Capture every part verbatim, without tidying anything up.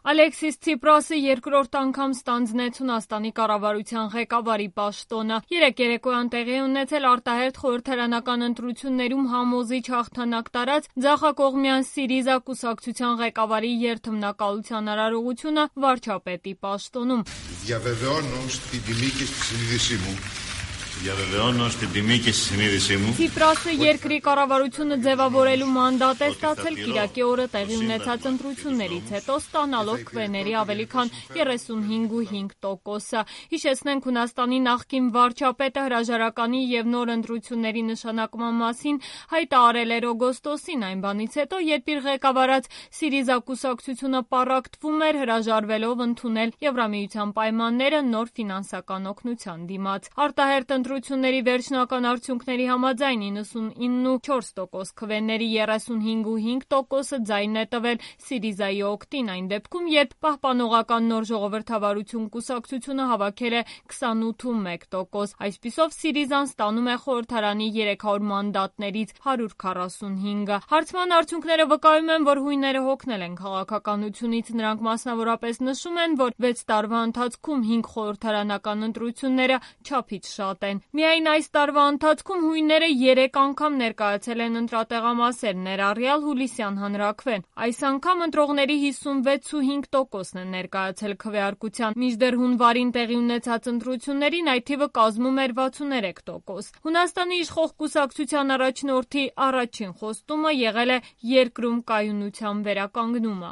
Ալեքսիս Ցիպրասը երկրորդ անգամ ստանձնեց Հունաստանի կառավարության ղեկավարի պաշտոնը։ Երեկ երեկոյան տեղի է ունեցել արտահերթ խորհրդարանական ընտրություններում համոզիչ հաղթանակ տարած ձախակողմյան Սիրիզա կուսակցության ղեկավարի երթմնակալության արարողությունը վարչապետի պաշտոնում։ Ցիպրասը երկրի կառավարությունը ձևավորելու մանդատ է ստացել կիրակի օրը տեղի ունեցած ընտրություններից հետո, ստանալով քվեների ավելի քան երեսունհինգ ու հինգ տոկոսը։ Հիշեցնենք, Հունաստանի նախկին վարչապետը հրաժարականի և նոր ընտրությունների նշանակման մասին հայտարարել էր օգոստոսին, այն բանից հետո, երբ իր ղեկավարած Սիրիզա կուսակցությունը պառակտվում էր հրաժարվելով ընդունել Եվրամիության պայմանները նոր ֆինանսական օգնության դիմաց։ Արտահերթ ընտրությունների վերջնական արդյունքների համաձայն իննսունինը ու չորս տոկոս քվեների երեսունհինգ ու հինգ տոկոսը ձայնն է տվել Սիրիզայի օգտին, այն դեպքում, երբ Պահպանողական նոր ժողովրդավարություն կուսակցությունը հավաքել է քսանութ ու մեկ տոկոս։ Այսպիսով Սիրիզան ստանում է խորհրդարանի երեք հարյուր մանդատներից հարյուր քառասունհինգը։ Հարցման արդյունքները վկայում են, որ հույները հոգնել են քաղաքականությունից։ Նրանք մասնավորապես նշում են, որ վեց տարվա ընթացքում հինգ խորհրդարանական ընտրությունները չափից շատ են։ Միայն այս տարվա ընթացքում հույները երեք անգամ ներկայացել են ընտրատեղամասեր, ներառյալ հուլիսյան հանրաքվեն։ Այս անգամ ընտրողների հիսունվեց ու հինգ տոկոսն է ներկայացել քվեարկության, մինչդեռ հունվարին տեղի ունեցած ընտրություններին այդ թիվը կազմում էր վաթսուններեք տոկոս։ Հունաստանի իշխող կուսակցության առաջնորդի առաջին խոստումը եղել է երկրում կայունության վերականգնումը։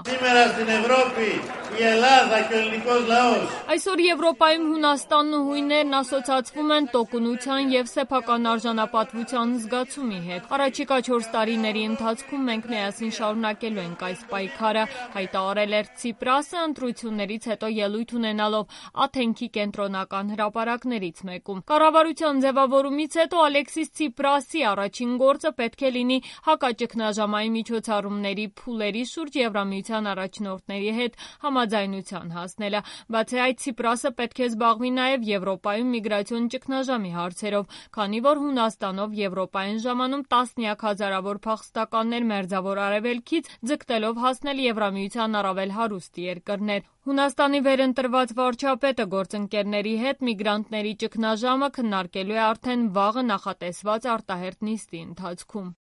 Այսօր Եվրոպայում Հունաստանն ու հույներն ասոցացվում են տոկունության և սեփական արժանապատվության զգացումի հետ։ Առաջիկա չորս տարիների ընթացքում մենք միասին շարունակելու ենք այս պայքարը, հայտարարել էր Ցիպրասը ընտրություններից հետո ելույթ ունենալով Աթենքի կենտրոնական հրապարակներից մեկում։ Կառավարության ձևավորումից հետո Ալեքսիս Ցիպրասի առաջին գործը պետք է լինի հակաճգնաժամային միջոցառումների փուլերի շուրջ Եվրամիության առաջնորդների հետ համաձայնության հասնելը։ Բացի այդ, Ցիպրասը պետք է զբաղվի նաև Եվրոպայում միգրացիոն ճգնաժամի հարցերով, քանի որ Հունաստանով Եվրոպա են ժամանում տասնյակ հազարավոր փախստականներ Մերձավոր Արևելքից, ձգտելով հասնել Եվրամիության առավել հարուստ երկրներ։ Հունաստանի վերընտրված վարչապետը գործընկերների հետ միգրանտների ճգնաժամը քննարկելու է արդեն վաղը նախատեսված արտահերթ նիստի ընթացքում։